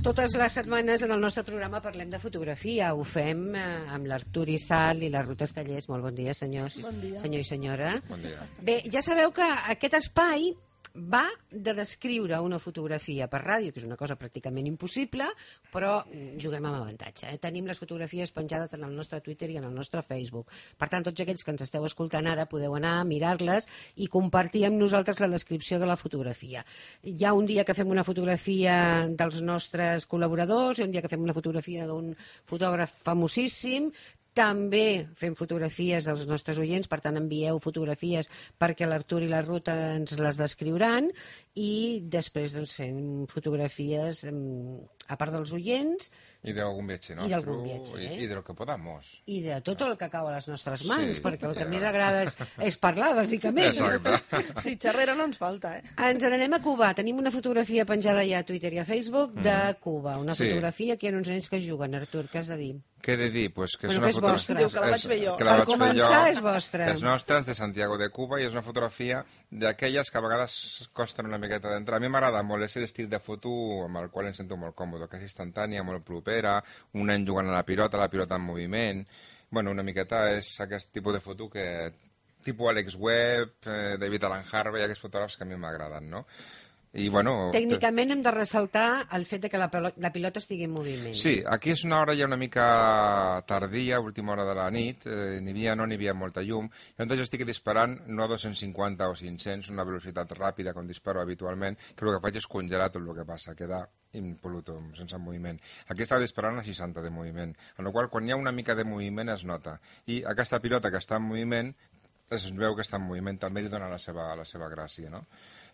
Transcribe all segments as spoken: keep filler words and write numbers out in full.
Totes les setmanes en el nostre programa parlem de fotografia. Ho fem eh, amb l'Artur Issal i la Ruth Estellers. Molt bon dia, senyors. Bon dia. Senyor i senyora. Bon dia. Bé, ja sabeu que aquest espai va de descriure una fotografia per ràdio, que és una cosa pràcticament impossible, però juguem amb avantatge. Eh? Tenim les fotografies penjades en el nostre Twitter i en el nostre Facebook. Per tant, tots aquells que ens esteu escoltant ara podeu anar a mirar-les i compartir amb nosaltres la descripció de la fotografia. Hi ha un dia que fem una fotografia dels nostres col·laboradors, hi ha un dia que fem una fotografia d'un fotògraf famosíssim, també fem fotografies dels nostres oients, per tant envieu fotografies perquè l'Artur i la Ruth ens les descriuran, i després doncs, fem fotografies a part dels oients i d'algun viatge i d'algun viatge, i, eh? i de lo que podamos. I de tot el que cau a les nostres mans, Sí, perquè el que ja. més agrada és, és parlar, bàsicament. Exacte. Sí, xerrera no ens falta, eh? Ens n'anem a Cuba. Tenim una fotografia penjada ja a Twitter i a Facebook de Cuba. Una Sí. fotografia que hi ha uns nens que juguen. Artur, què has de dir? Què he de dir? Pues que és Bueno, una que és foto- vostra. Diu que la vaig fer jo. que la Per vaig fer començar, jo. és vostra. És nostra, és de Santiago de Cuba, i és una fotografia d'aquelles que a vegades costen una miqueta d'entrar. A mi m'agrada molt aquest estil de foto amb el qual em sento molt còmode, que és instantània, molt propera, un nen jugant a la pilota, la pilota en moviment. Bueno, una miqueta és aquest tipus de foto que... tipus Alex Webb, eh, David Alan Harvey, aquests fotògrafs que a mi m'agraden, no? I, bueno, Tècnicament hem de ressaltar el fet de que la, pelo- la pilota estigui en moviment. Sí, aquí és una hora ja una mica tardia, última hora de la nit, eh, n'hi havia, no n'hi havia molta llum, i llavors jo estic disparant no a dos-cents cinquanta o cinc-cents, una velocitat ràpida com disparo habitualment, que el que faig és congelar tot el que passa, queda impoluto, sense moviment. Aquí estava disparant a seixanta de moviment, en la qual quan hi ha una mica de moviment es nota, i aquesta pilota que està en moviment es veu que està en moviment, també li dona la seva, la seva gràcia, no?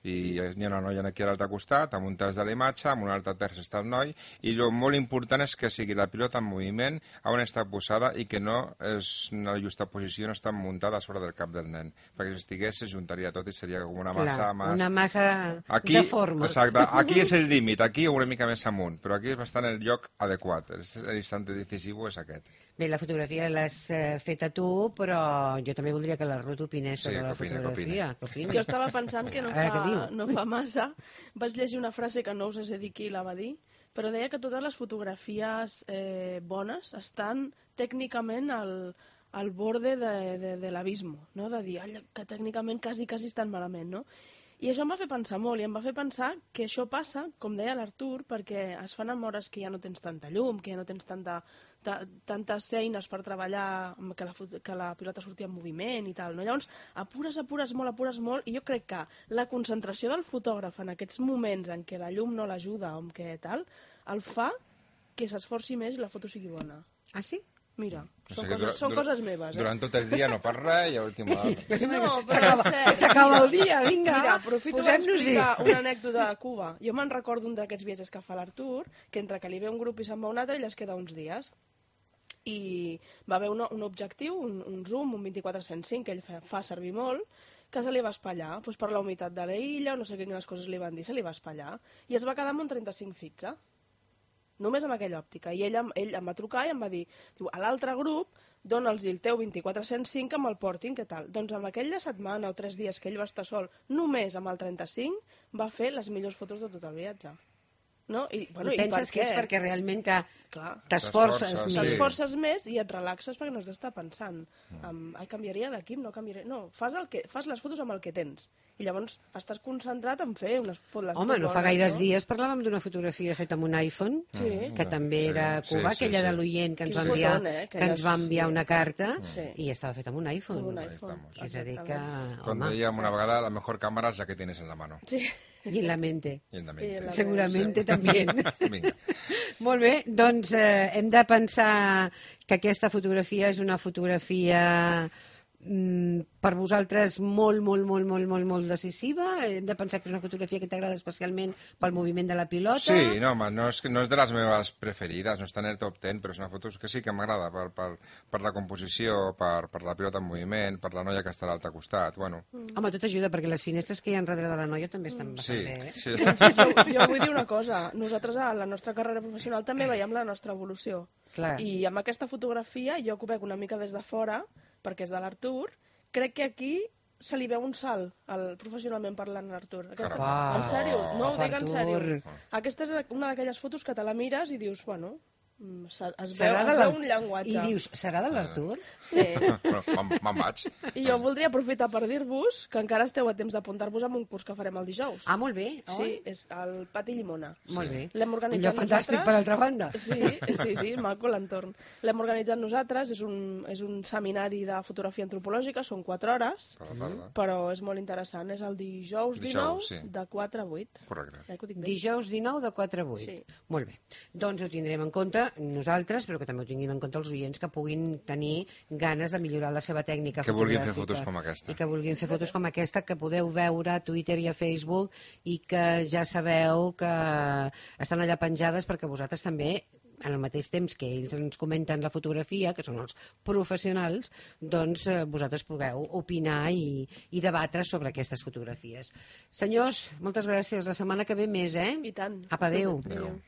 I hi ha una noia aquí a l'altre costat, amb un terç de la imatge, amb un altre terç està el noi, i el molt important és que sigui la pilota en moviment, on està posada, i que no és una justa posició, no està muntada a sobre del cap del nen, perquè si estigués se juntaria tot i seria com una massa... Clar, mas... una massa aquí, de forma. Exacte, aquí és el límit, aquí una mica més amunt, però aquí és bastant el lloc adequat, l'instant decisiu és aquest. Bé, la fotografia l'has eh, fet a tu, però jo també voldria que la Ruth opinés Sí, sobre la que opine, que fotografia. Que opini. Jo estava pensant que no A veure què fa, diu. no fa massa vaig llegir una frase que no us sé dir qui la va dir, però deia que totes les fotografies eh, bones estan tècnicament al, al borde de, de, de l'abismo, no? De dir "Ai, que tècnicament quasi, quasi estan malament, no? I això em va fer pensar molt, i em va fer pensar que això passa, com deia l'Artur, perquè es fan en hores que ja no tens tanta llum, que ja no tens tanta, ta, tantes eines per treballar, amb que la, fot- que la pilota surti en moviment i tal, no? Llavors, apures, apures molt, apures molt, i jo crec que la concentració del fotògraf en aquests moments en què la llum no l'ajuda o en què tal, el fa que s'esforci més i la foto sigui bona. Ah, sí? Mira, O són, sigui que coses, dura- són dura- coses meves, eh? Durant tot el dia no fas res i a última hora... No, però S'acaba- és cert. S'acaba el dia, vinga. Mira, aprofito per posem-nos-hi. explicar una anècdota de Cuba. Jo me'n recordo un d'aquests viatges que fa l'Artur, que entre que li ve un grup i se'n va un altre, ell es queda uns dies. I va haver un, un objectiu, un, un zoom, un vint-i-quatre cent cinc, que ell fa, fa servir molt, que se li va espatllar, doncs per la humitat de la illa, o no sé quines coses li van dir, se li va espatllar, i es va quedar amb un trenta-cinc fixe. Només amb aquella òptica. I ell, em- ell em va trucar i em va dir, diu, a l'altre grup, dona'ls el teu vint-i-quatre cent cinc amb el portin, què tal? Doncs amb aquella setmana o tres dies que ell va estar sol, només amb el trenta-cinc, va fer les millors fotos de tot el viatge. No? I, bueno, I penses per que és què? perquè realment que Clar, t'esforces T'esforces, més. sí. t'esforces més i et relaxes perquè no has d'estar pensant en, ai, canviaria l'equip, no canviaria... No, fas, el que, fas les fotos amb el que tens. I llavors estàs concentrat en fer unes fotos Home, no fa bones, gaires no? dies parlàvem d'una fotografia feta amb un iPhone, Sí. que també era a Sí, Cuba, sí, aquella sí. de l'oient que ens Quin va enviar, fotón, eh? que Aquelles- ens va enviar sí. una carta, Sí. i estava feta amb un iPhone. Amb un Ahí iPhone. estamos. És a dir que, Com home, dèiem una vegada, la mejor cámara es la que tienes en la mano. Sí. i en la mente. I en la I mente. en la Seguramente Sí. també. Vinga. Molt bé, doncs eh, hem de pensar que aquesta fotografia és una fotografia mm, per vosaltres molt, molt, molt, molt, molt, molt decisiva. Hem de pensar que és una fotografia que t'agrada especialment pel moviment de la pilota. Sí, no, home, no és, que- no és de les meves preferides, no està en el top ten, però és una foto que sí que m'agrada per, per, per la composició, per, per la pilota en moviment, per la noia que està a l'altre costat, bueno. Home, tot ajuda, perquè les finestres que hi ha darrere de la noia també estan bastant Sí, bé. Eh? sí. Jo, jo vull dir una cosa, nosaltres a la nostra carrera professional també veiem la nostra evolució. Clar. I amb aquesta fotografia, jo que ho veig una mica des de fora, perquè és de l'Artur, crec que aquí se li veu un salt al, professionalment parlant a l'Artur. Aquesta, Caram. en sèrio, no, ho dic en sèrio. Artur. Aquesta és una d'aquelles fotos que te la mires i dius, bueno, mm, se- es veu, Serà de es l'Ar- veu un llenguatge. I dius, serà de l'Artur? Sí. Bueno, me'n me'n vaig. I jo voldria aprofitar per dir-vos que encara esteu a temps d'apuntar-vos en un curs que farem el dijous. Ah, molt bé. Oh, Sí, és al Pati Llimona. molt bé. L'hem Un organitzat lloc fantàstic, per altra banda. Sí, sí, sí, maco l'entorn. L'hem organitzat nosaltres, és un, és un seminari de fotografia antropològica, són quatre hores, Per la tarda. però és molt interessant. És el dijous Dijous, dinou, sí. de quatre a vuit. Correcte. Ja que ho dic bé. Dijous dinou de quatre a vuit. Sí. Molt bé. Doncs ho tindrem en compte nosaltres, però que també ho tinguin en compte els oients que puguin tenir ganes de millorar la seva tècnica Que vulguin fer fotogràfica. fotos com aquesta. I que vulguin fer fotos com aquesta que podeu veure a Twitter i a Facebook i que ja sabeu que estan allà penjades perquè vosaltres també, en el mateix temps que ells ens comenten la fotografia, que són els professionals, doncs eh, vosaltres pugueu opinar i, i debatre sobre aquestes fotografies. Senyors, moltes gràcies. La setmana que ve més, eh? I tant. Apa, adéu. Adéu.